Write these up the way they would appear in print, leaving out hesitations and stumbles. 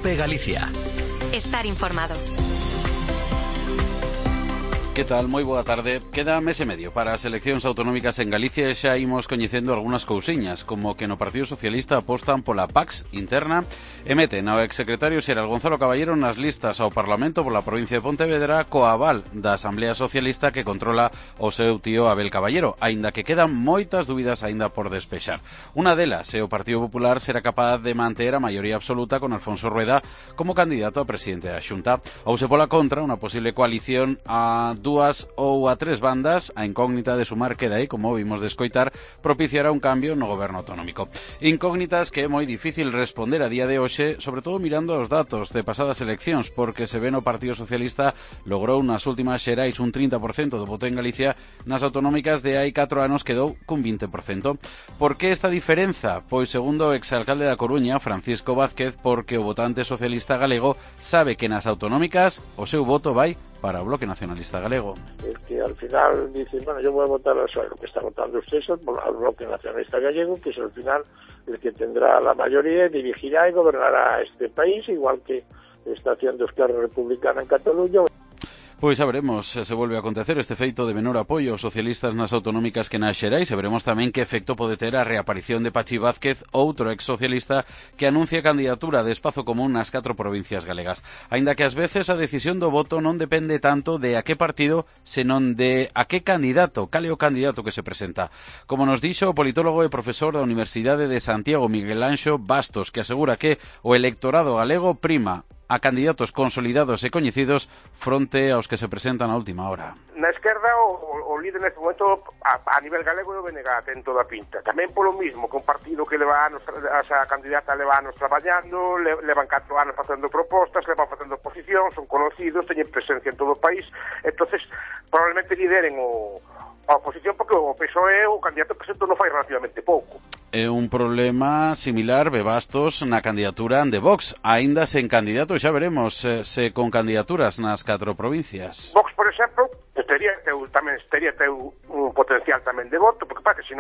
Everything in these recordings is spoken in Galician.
COPE Galicia. Estar informado. Que tal? Moi boa tarde. Queda mes e medio para as eleccións autonómicas en Galicia e xa imos coñecendo algunhas cousiñas, como que no Partido Socialista apostan pola Pax interna e meten ao exsecretario xeral Gonzalo Caballero nas listas ao Parlamento pola provincia de Pontevedra coa aval da Asamblea Socialista que controla o seu tío Abel Caballero, aínda que quedan moitas dúbidas aínda por despexar. Unha delas é o Partido Popular será capaz de manter a maioría absoluta con Alfonso Rueda como candidato a presidente da Xunta, ou se pola contra unha posible coalición a dúas ou a tres bandas, a incógnita de sumar queda aí, como vimos de escoitar, propiciará un cambio no goberno autonómico. Incógnitas que é moi difícil responder a día de hoxe, sobre todo mirando os datos de pasadas eleccións, porque se ve no Partido Socialista logrou nas últimas xerais un 30% do voto en Galicia, nas autonómicas de hai 4 anos quedou cun 20%. Por que esta diferenza? Pois segundo o exalcalde da Coruña, Francisco Vázquez, porque o votante socialista galego sabe que nas autonómicas o seu voto vai para o Bloque Nacionalista Galego. Es que al final dicen, bueno, yo voy a votar a lo que está votando usted, al Bloque Nacionalista Gallego, que es al final el que tendrá la mayoría, dirigirá y gobernará este país, igual que está haciendo Esquerra Republicana en Cataluña. Pois xa veremos se volve a acontecer este feito de menor apoio aos socialistas nas autonómicas que nas xerais e veremos tamén que efecto pode ter a reaparición de Pachi Vázquez, outro ex-socialista que anuncia candidatura de espazo común nas 4 provincias galegas. Aínda que ás veces a decisión do voto non depende tanto de a que partido, senón de a que candidato, cal é o candidato que se presenta. Como nos dixo o politólogo e profesor da Universidade de Santiago, Miguel Anxo Bastos, que asegura que o electorado galego prima a candidatos consolidados e coñecidos fronte aos que se presentan a última hora. Na esquerda o líder neste momento a nivel galego é o BNG, ten toda a pinta. Tamén polo mismo, que un partido que leva anos, a candidata leva anos traballando, levan 4 anos facendo propostas, levan facendo oposición, son conocidos, teñen presencia en todo o país, entonces probablemente lideren a oposición porque o PSOE o candidato presento non fai relativamente pouco. É un problema similar, Bebastos, na candidatura de Vox, aínda sen candidato, xa veremos se con candidaturas nas 4 provincias. Vox, por exemplo, teria un potencial tamén de voto, porque para que se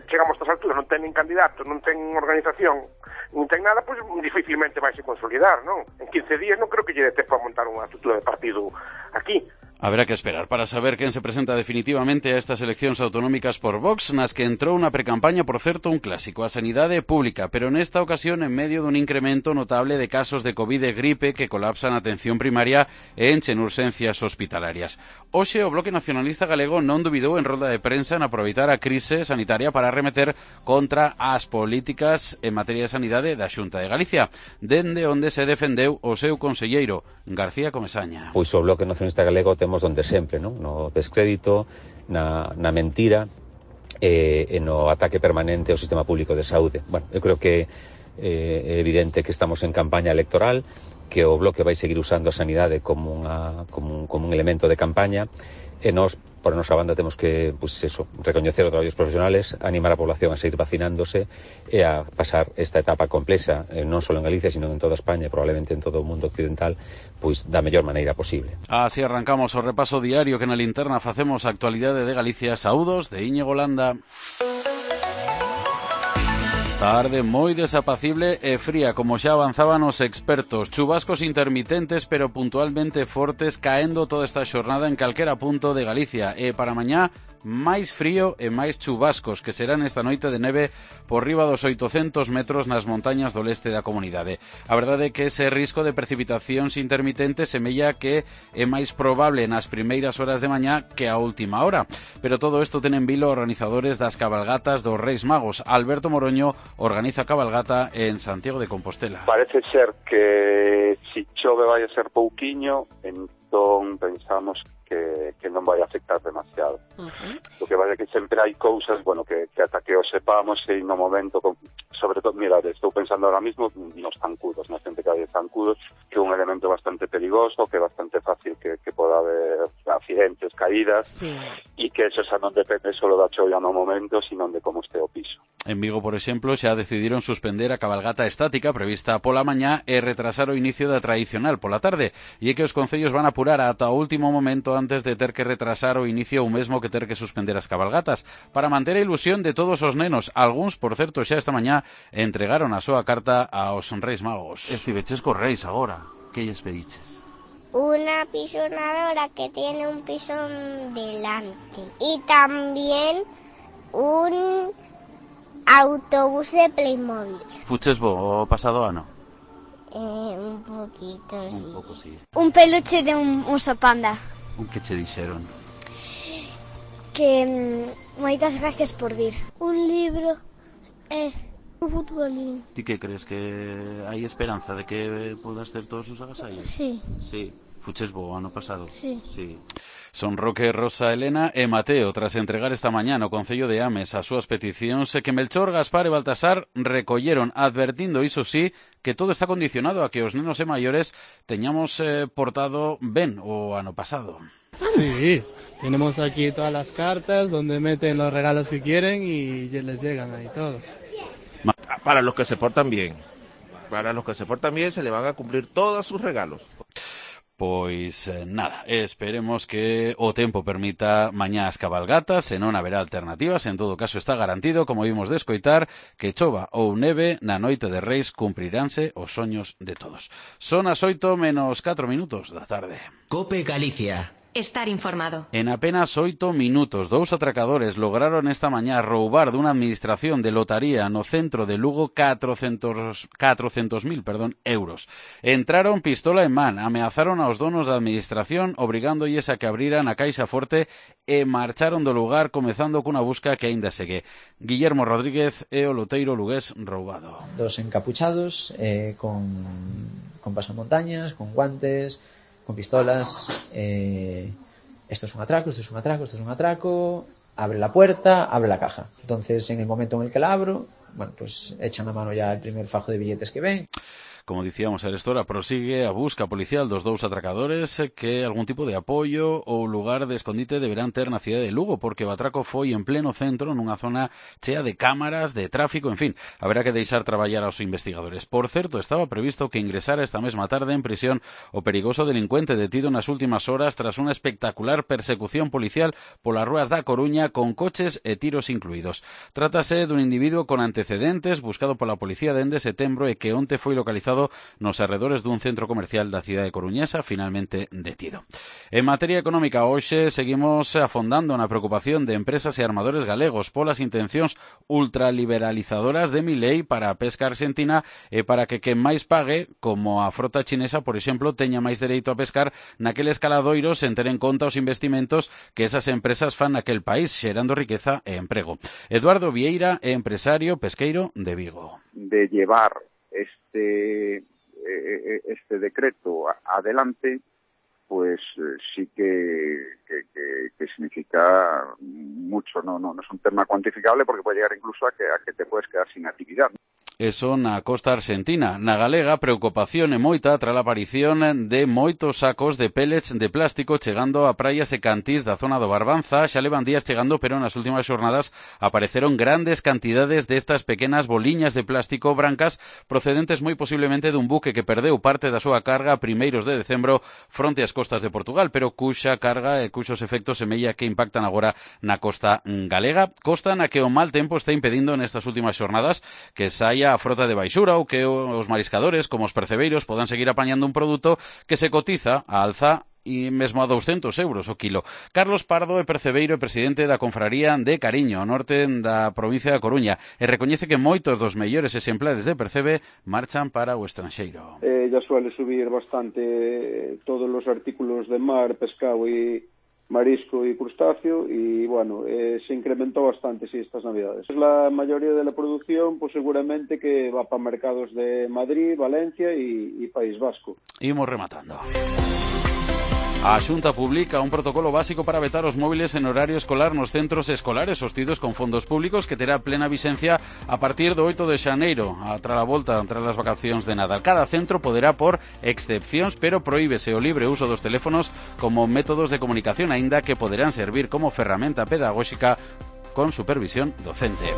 chegamos a estas alturas non ten nin candidato, non ten organización, non ten nada, pois dificilmente vai se consolidar, non? En 15 días non creo que lle dé tempo a montar unha estrutura de partido aquí. Haberá que esperar para saber quen se presenta definitivamente a estas eleccións autonómicas por Vox, nas que entrou na precampaña, por certo, un clásico, a sanidade pública, pero nesta ocasión en medio dun incremento notable de casos de COVID e gripe que colapsan a atención primaria e enchen urxencias hospitalarias. Hoxe o Bloque Nacionalista Galego non dubidou en rolda de prensa en aproveitar a crise sanitaria para arremeter contra as políticas en materia de sanidade da Xunta de Galicia, dende onde se defendeu o seu conselleiro, García Comesaña. Pois o Bloque Nacionalista Galego temos donde sempre, non? No descrédito, na mentira e no ataque permanente ao sistema público de saúde. Bueno, eu creo que é evidente que estamos en campaña electoral, que o Bloque vai seguir usando a sanidade como un elemento de campaña e nós, por a nosa banda, temos que recoñecer os traballos profesionales, animar a población a seguir vacinándose e a pasar esta etapa complexa, non só en Galicia, sino en toda España e probablemente en todo o mundo occidental, pois da mellor maneira posible. Así arrancamos o repaso diario que na linterna facemos a actualidade de Galicia. Saúdos de Íñigo Landa. Tarde moi desapacible e fría, como xa avanzaban os expertos. Chubascos intermitentes pero puntualmente fortes caendo toda esta xornada en calquera punto de Galicia. E para mañá, máis frío e máis chubascos, que serán esta noite de neve por riba dos 800 metros nas montañas do leste da comunidade. A verdade é que ese risco de precipitacións intermitentes semella que é máis probable nas primeiras horas de mañá que a última hora. Pero todo isto ten en vilo organizadores das cabalgatas dos Reis Magos. Alberto Moroño organiza a cabalgata en Santiago de Compostela. Parece ser que si chove vai a ser pouquiño, entón pensamos que non vai afectar demasiado. O que vai é que sempre hai cousas, bueno, que ata que o sepamos e no momento, sobre todo, mira, estou pensando ahora mismo nos zancudos, na xente que hai zancudos, que é un elemento bastante perigoso, que é bastante fácil que poda haber accidentes, caídas, e que eso xa non depende só da choia no momento, sino de como este o piso. En Vigo, por exemplo, xa decidiron suspender a cabalgata estática prevista pola mañá e retrasar o inicio da tradicional pola tarde, e é que os concellos van apurar ata o último momento antes de ter que retrasar o inicio ou mesmo que ter que suspender as cabalgatas, para manter a ilusión de todos os nenos. Algúns, por certo, xa esta mañá entregaron a súa carta aos Reis Magos. Estiveches cos Reis agora. Que lles pediches? Una pisonadora que tiene un pisón delante y también un autobús de Playmobil. Fuches bo o pasado ano? Un poquito, sí. Un pouco, sí. Un peluche de un oso panda. Un que che dixeron? Que moitas gracias por vir. Un libro un futbolín. Ti que crees que hai esperanza de que podas ter todos os agasallos? Sí. Sí. Fuches bo ano pasado? Sí. Sí. Son Roque, Rosa, Elena e Mateo, tras entregar esta mañá no Concello de Ames as súas peticións que Melchor, Gaspar e Baltasar recolleron, advertindo, iso sí, que todo está condicionado a que os nenos e maiores teñamos portado ben o ano pasado. Sí, tenemos aquí todas las cartas donde meten los regalos que quieren y les llegan ahí todos. Para los que se portan bien. Para los que se portan bien se le van a cumplir todos sus regalos. Pois nada, esperemos que o tempo permita mañá as cabalgatas, e non haberá alternativas. En todo caso está garantido, como vimos de escoitar, que chova ou neve na noite de Reis cumpriránse os soños de todos. Son as 8:04 da tarde. COPE Galicia. Estar informado. En apenas 8 minutos, 2 atracadores lograron esta mañá roubar dunha administración de lotaría no centro de Lugo 400.000 euros. Entraron pistola en man, ameazaron aos donos da administración, obrigándolles a que abriran a caixa forte e marcharon do lugar, comezando cunha busca que aínda segue. Guillermo Rodríguez é o loteiro lugués roubado. Dos encapuchados, con pasamontañas, con guantes, con pistolas. Esto es un atraco, esto es un atraco, esto es un atraco. Abre la puerta, abre la caja. Entonces, en el momento en el que la abro, bueno, pues echan a mano ya el primer fajo de billetes que ven. Como dicíamos, a esta hora prosigue a busca policial dos dous atracadores que algún tipo de apoio ou lugar de escondite deberán ter na cidade de Lugo, porque o atraco foi en pleno centro, nunha zona chea de cámaras, de tráfico, en fin, haberá que deixar traballar aos investigadores. Por certo, estaba previsto que ingresara esta mesma tarde en prisión o perigoso delincuente detido nas últimas horas tras unha espectacular persecución policial polas rúas da Coruña con coches e tiros incluídos. Trátase dun individuo con antecedentes buscado pola policía dende setembro e que onte foi localizado nos arredores dun centro comercial da cidade coruñesa, finalmente detido. En materia económica, hoxe seguimos afondando na preocupación de empresas e armadores galegos polas intencións ultraliberalizadoras de Milei para a pesca argentina e para que quen máis pague, como a frota chinesa, por exemplo, teña máis dereito a pescar naqueles caladoiros sen ter en conta os investimentos que esas empresas fan naquel país, xerando riqueza e emprego. Eduardo Vieira é empresario pesqueiro de Vigo. De llevar este decreto adelante, pues sí que significa mucho. No es un tema cuantificable porque puede llegar incluso a que te puedes quedar sin actividad. Eso na costa argentina. Na galega, preocupación e moita tras a aparición de moitos sacos de pellets de plástico chegando a praias e cantís da zona do Barbanza. Xa levan días chegando, pero nas últimas xornadas apareceron grandes cantidades destas pequenas boliñas de plástico brancas procedentes moi posiblemente dun buque que perdeu parte da súa carga a primeiros de decembro fronte ás costas de Portugal, pero cuxa carga e cuxos efectos semella que impactan agora na costa galega. Costa na que o mal tempo está impedindo nestas últimas xornadas que saia a frota de baixura ou que os mariscadores, como os percebeiros, podan seguir apañando un produto que se cotiza a alza e mesmo a 200 euros o kilo. Carlos Pardo é percebeiro e presidente da Confraría de Cariño, ao norte da provincia da Coruña, e recoñece que moitos dos mellores exemplares de percebe marchan para o estranxeiro. Ya suele subir bastante todos os artículos de mar, pescado e marisco y crustáceo, y bueno, se incrementó bastante estas navidades. La mayoría de la producción pues seguramente que va para mercados de Madrid, Valencia y País Vasco. Imos rematando. A Xunta publica un protocolo básico para vetar os móviles en horario escolar nos centros escolares sostidos con fondos públicos que terá plena vixencia a partir do 8 de xaneiro, tras a volta tras as vacacións de Nadal. Cada centro poderá por excepcións, pero prohíbese o libre uso dos teléfonos como métodos de comunicación, aínda que poderán servir como ferramenta pedagóxica con supervisión docente.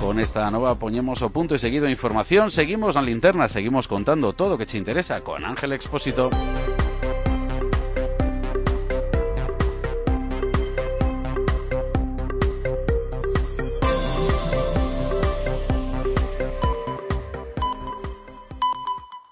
Con esta nova poñemos o punto e seguido a información. Seguimos na linterna, seguimos contando todo o que che interesa con Ángel Expósito.